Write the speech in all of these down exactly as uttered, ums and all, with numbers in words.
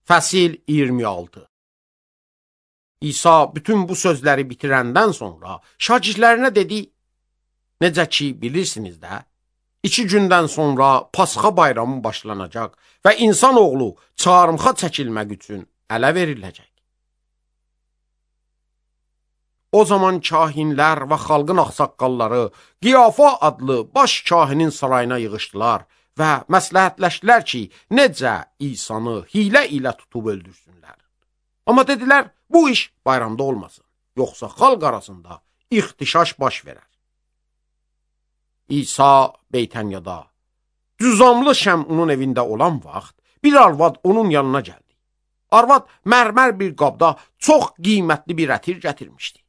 Fəsil iyirmi altı. İsa bütün bu sözləri bitirəndən sonra şagirdlərinə dedi: Necə ki bilirsiniz də, iki gündən sonra Pasxa bayramı başlanacaq və insan oğlu çarmıxa çəkilmək üçün ələ veriləcək. O zaman kahinlər və xalqın ağsaqqalları Qiyafa adlı baş kahinin sarayına yığışdılar və məsləhətləşdilər ki, necə İsanı hilə ilə tutub öldürsünlər. Amma dedilər, bu iş bayramda olmasın, yoxsa xalq arasında ixtişaş baş verər. İsa Beytənyada, cüzamlı Şəmunun evində olan vaxt, bir arvad onun yanına gəldi. Arvad mərmər bir qabda çox qiymətli bir ətir gətirmişdi.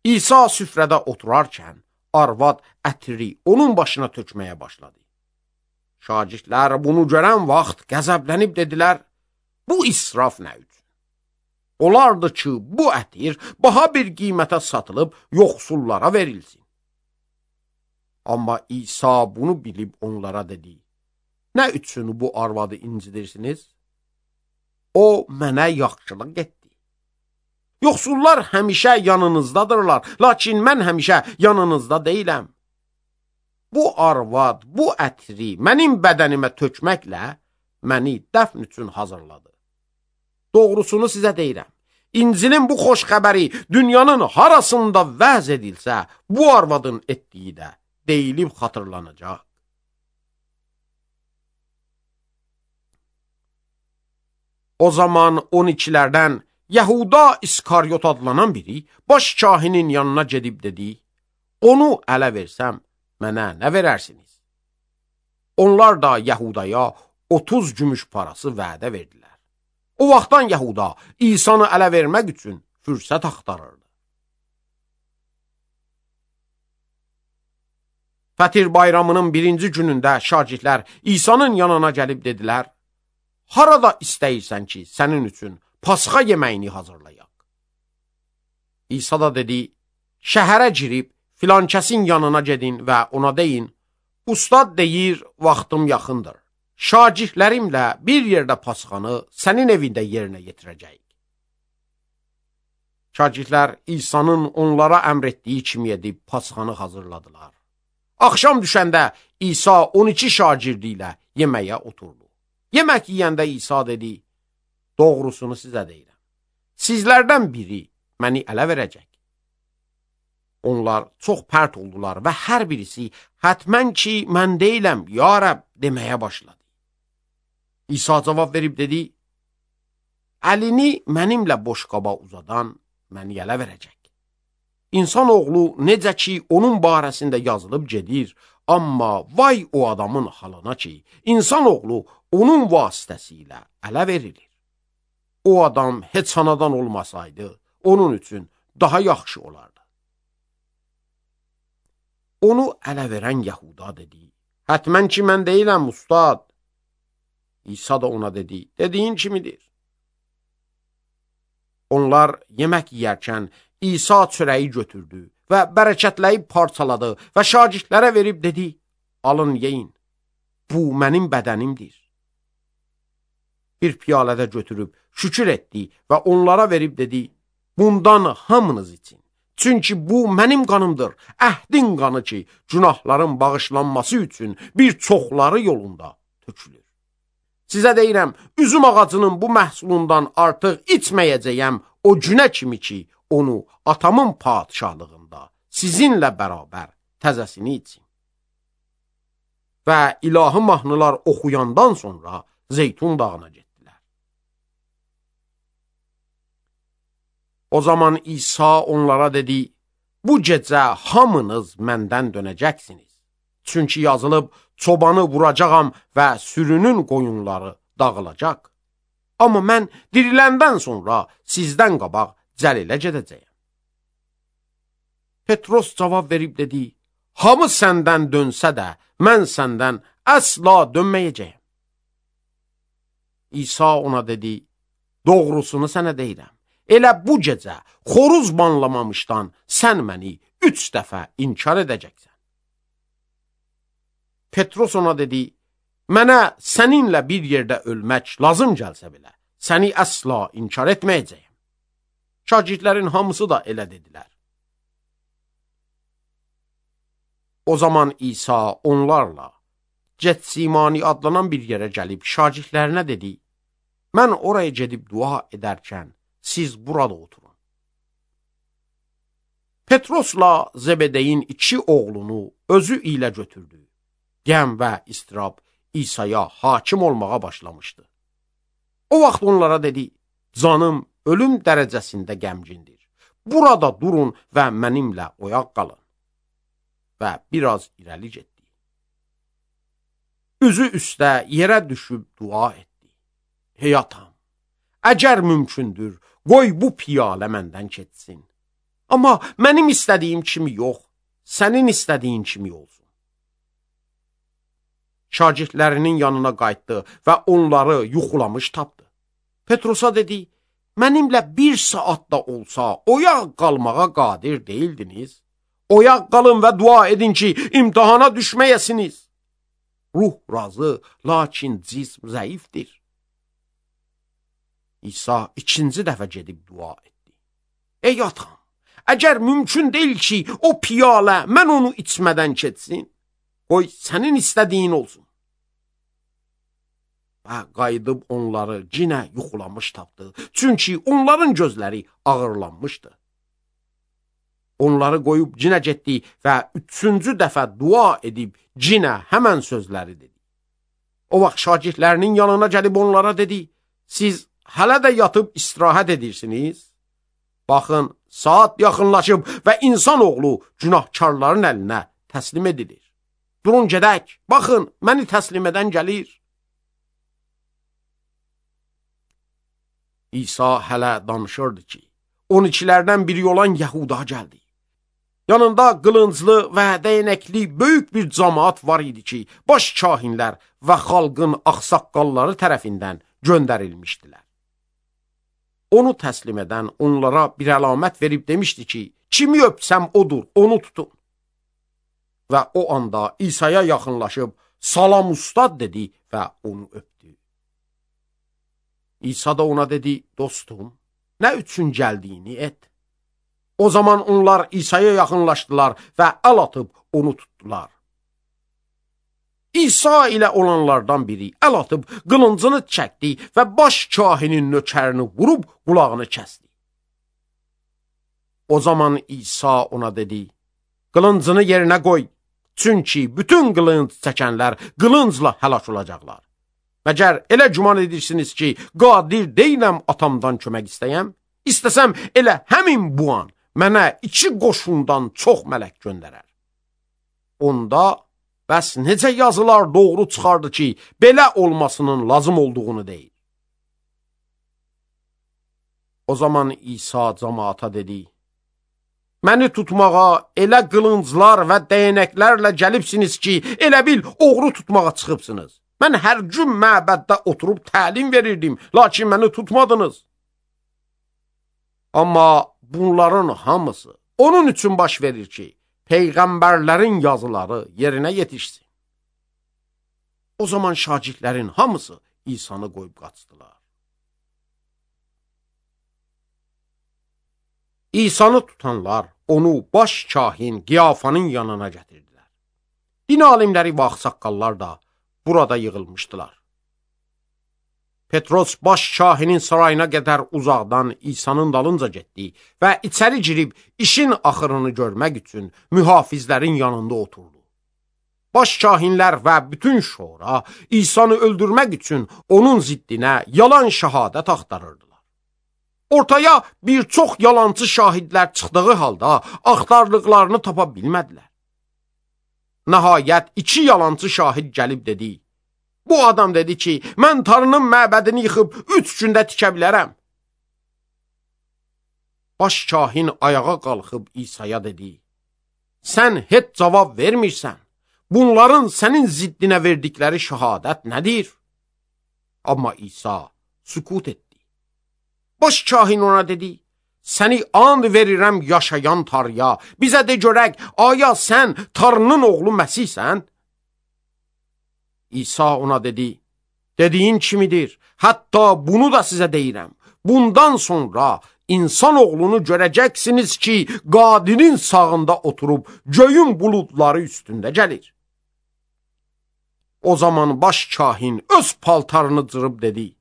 İsa süfrədə oturarkən, arvad ətiri onun başına tökməyə başladı. Şagirdlər bunu görən vaxt qəzəblənib dedilər, bu israf nə üçün? Olardı ki, bu ətir baha bir qiymətə satılıb yoxsullara verilsin. Amma İsa bunu bilib onlara dedi, nə üçün bu arvadı incidirsiniz? O mənə yaxşılıq etdi. Yoxsullar həmişə yanınızdadırlar, lakin mən həmişə yanınızda deyiləm. Bu arvad, bu ətri mənim bədənimə tökməklə məni dəfn üçün hazırladı. Doğrusunu sizə deyirəm, İncilin bu xoş xəbəri dünyanın harasında vəz edilsə, bu arvadın etdiyi də deyilib xatırlanacaq. O zaman on ikilərdən Yahuda İskaryot adlanan biri baş kahinin yanına gedib dedi, onu ələ versəm, mənə nə verərsiniz? Onlar da Yahudaya otuz gümüş parası vədə verdilər. O vaxtdan Yahuda İsanı ələ vermək üçün fürsət axtarırdı. Fətir bayramının birinci günündə şagirdlər İsa'nın yanına gəlib dedilər, harada istəyirsən ki, sənin üçün Pasxa yeməyini hazırlayaq. İsa da dedi, şəhərə girib filan kəsin yanına gedin və ona deyin, ustad deyir, vaxtım yaxındır. Şagirdlərimlə bir yerdə Pasxanı sənin evində yerinə yetirəcəyik. Şagirdlər İsa'nın onlara əmr etdiyi kimi edib Pasxanı hazırladılar. Axşam düşəndə İsa on iki şagirdi ilə yeməyə oturdu. Yemək yeyəndə İsa dedi, doğrusunu sizə deyirəm, sizlərdən biri məni ələ verəcək. Onlar çox pərt oldular və hər birisi, hətmən ki, mən deyiləm, ya Rəbb, deməyə başladı. İsa cavab verib dedi, əlini mənimlə boş qaba uzadan məni ələ verəcək. İnsan oğlu necə ki, onun barəsində yazılıb gedir, amma vay o adamın halına ki, insan oğlu onun vasitəsilə ələ verilir. O adam heç anadan olmasaydı, onun üçün daha yaxşı olardı. Onu ələ verən Yahuda dedi, hətmən ki, mən deyiləm, ustad. İsa da ona dedi, dediyin kimidir. Onlar yemək yeyərkən İsa çörəyi götürdü və bərəkətləyib parçaladı və şagirdlərə verib dedi, alın yeyin, bu mənim bədənimdir. Bir piyalədə götürüb şükür etdi və onlara verib dedi, bundan hamınız için. Çünki bu mənim qanımdır, əhdin qanı ki, günahların bağışlanması üçün bir çoxları yolunda tökülür. Sizə deyirəm, üzüm ağacının bu məhsulundan artıq içməyəcəyəm o günə kimi ki, onu atamın padişahlığında sizinlə bərabər təzəsini için. Və ilahi mahnılar oxuyandan sonra Zeytun dağına getdilər. O zaman İsa onlara dedi, bu gecə hamınız məndən dönəcəksiniz. Çünki yazılıb, çobanı vuracağam və sürünün qoyunları dağılacaq. Amma mən diriləndən sonra sizdən qabaq Cəlilə gedəcəyəm. Petros cavab verib dedi, hamı səndən dönsə də, mən səndən əsla dönməyəcəyəm. İsa ona dedi, doğrusunu sənə deyirəm. Elə bu gecə xoruz banlamamışdan sən məni üç dəfə inkar edəcəksən. Petros ona dedi, Mənə səninlə bir yerdə ölmək lazım gəlsə belə, səni əsla inkar etməyəcəyəm. Şagirdlərin hamısı da elə dedilər. O zaman İsa onlarla Getsimani adlanan bir yerə gəlib şagirdlərinə dedi, mən oraya gedib dua edərkən siz burada oturun. Petrosla Zebedeyin iki oğlunu özü ilə götürdü. Qəm və istirab İsa'ya hakim olmağa başlamışdı. O vaxt onlara dedi, canım ölüm dərəcəsində qəmgindir. Burada durun və mənimlə oyaq qalın. Və biraz irəli getdi. Üzü üstə yerə düşüb dua etdi. Hey atam, əgər mümkündür, qoy bu piyalə məndən keçsin. Amma mənim istədiyim kimi yox, sənin istədiyin kimi olsun. Şagirdlərinin yanına qayıtdı və onları yuxulamış tapdı. Petrosa dedi, mənimlə bir saat da olsa oyaq qalmağa qadir deyildiniz. Oyaq qalın və dua edin ki, imtihana düşməyəsiniz. Ruh razı, lakin cism zəifdir. İsa ikinci dəfə gedib dua etdi. Ey atam, əgər mümkün deyil ki, o piyalə mən onu içmədən keçsin, qoy sənin istədiyin olsun. Və qayıdıb onları yenə yuxulamış tapdı, çünki onların gözləri ağırlanmışdı. Onları qoyub yenə getdi və üçüncü dəfə dua edib yenə həmən sözləri dedi. O vaxt şagirdlərinin yanına gəlib onlara dedi, siz hələ də yatıb istirahət edirsiniz? Baxın, saat yaxınlaşıb və insanoğlu günahkarların əlinə təslim edilir. Durun gedək, baxın, məni təslim edən gəlir. İsa hələ danışırdı ki, on ikilərdən biri olan Yəhuda gəldi. Yanında qılınclı və dəyənəkli böyük bir cəmaat var idi ki, baş kahinlər və xalqın ağsaqqalları tərəfindən göndərilmişdilər. Onu təslim edən onlara bir əlamət verib demişdi ki, kimi öpsəm odur, onu tutun. Və o anda İsa'ya yaxınlaşıb, salam ustad dedi və onu öpdü. İsa da ona dedi, dostum, nə üçün gəldiyini et. O zaman onlar İsa'ya yaxınlaşdılar və əl atıb onu tutdular. İsa ilə olanlardan biri əl atıb qılıncını çəkdi və baş kahinin nökərini vurub qulağını kəsdi. O zaman İsa ona dedi, qılıncını yerinə qoy, çünki bütün qılınc çəkənlər qılıncla həlak olacaqlar. Məgər elə güman edirsiniz ki, qadir deyiləm atamdan kömək istəyəm? İstəsəm elə həmin bu an mənə iki qoşundan çox mələk göndərər. Onda bəs necə yazılar doğru çıxardı ki, belə olmasının lazım olduğunu deyil. O zaman İsa cəmaata dedi, məni tutmağa elə qılınclar və dəyənəklərlə gəlibsiniz ki, elə bil oğru tutmağa çıxıbsınız. Mən hər gün məbəddə oturub təlim verirdim, lakin məni tutmadınız. Amma bunların hamısı onun üçün baş verir ki, peyğəmbərlərin yazıları yerinə yetişsin. O zaman şagirdlərin hamısı İsa'nı qoyub qaçdılar. İsa'nı tutanlar onu baş kahin Qiyafanın yanına gətirdilər. Din alimləri və ağsaqqallar da burada yığılmışdılar. Petros baş kahinin sarayına qədər uzaqdan İsa'nın dalınca getdi və içəri girib işin axırını görmək üçün mühafizlərin yanında oturdu. Baş kahinlər və bütün şora İsa'nı öldürmək üçün onun ziddinə yalan şəhadət axtarırdılar. Ortaya bir çox yalancı şahidlər çıxdığı halda axtardıqlarını tapa bilmədilər. Nəhayət iki yalancı şahid gəlib dedi, bu adam dedi ki, mən Tanrının məbədini yıxıb üç gündə tikə bilərəm. Baş kahin ayağa qalxıb İsa'ya dedi, sən heç cavab vermirsən, bunların sənin ziddinə verdikləri şəhadət nədir? Amma İsa sükut etdi. Baş kahin ona dedi, səni and verirəm yaşayan Tanrıya, bizə de görək, aya sən Tanrının oğlu Məsihsən? İsa ona dedi, dediyin kimidir, hətta bunu da sizə deyirəm. Bundan sonra insanoğlunu görəcəksiniz ki, Qadirin sağında oturub göyün buludları üstündə gəlir. O zaman baş kahin öz paltarını cırıb dedi,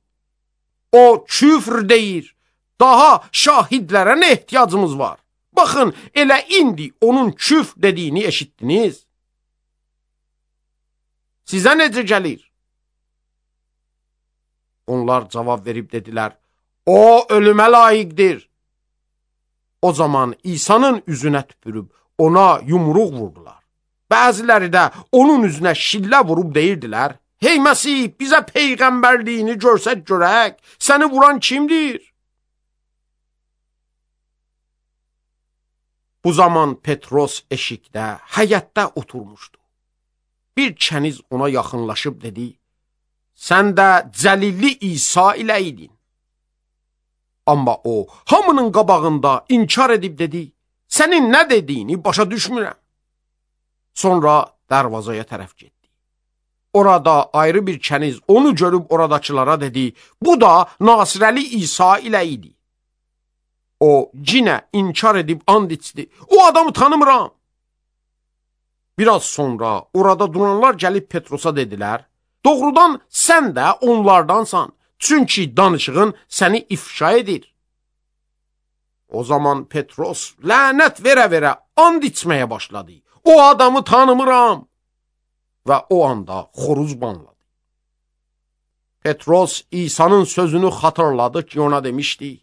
o küfr deyir, daha şahidlərə nə ehtiyacımız var? Baxın, elə indi onun küfr dediyini eşitdiniz. Sizə necə gəlir? Onlar cavab verib dedilər, o ölümə layiqdir. O zaman İsa'nın üzünə tüpürüb ona yumruq vurdular. Bəziləri də onun üzünə şillə vurub deyirdilər, hey Məsih, bizə peyğəmbərliyini görsək görək, səni vuran kimdir? Bu zaman Petros eşikdə, həyətdə oturmuşdu. Bir kəniz ona yaxınlaşıb dedi, sən də Cəlilli İsa ilə idin. Amma o, hamının qabağında inkar edib dedi, sənin nə dediyini başa düşmürəm. Sonra dərvazaya tərəf getdi. Orada ayrı bir kəniz onu görüb oradakılara dedi, bu da Nasirəli İsa ilə idi. O, cinə inkar edib and içdi, o adamı tanımıram. Biraz sonra orada duranlar gəlib Petrosa dedilər, doğrudan sən də onlardansan, çünki danışığın səni ifşa edir. O zaman Petros lənət verə-verə and içməyə başladı. O adamı tanımıram. Və o anda xoruz banladı. Petros İsa'nın sözünü xatırladı ki, ona demişdi,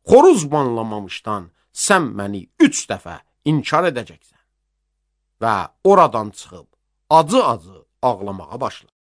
xoruz banlamamışdan sən məni üç dəfə inkar edəcəksən. Və oradan çıxıb acı-acı ağlamağa başladı.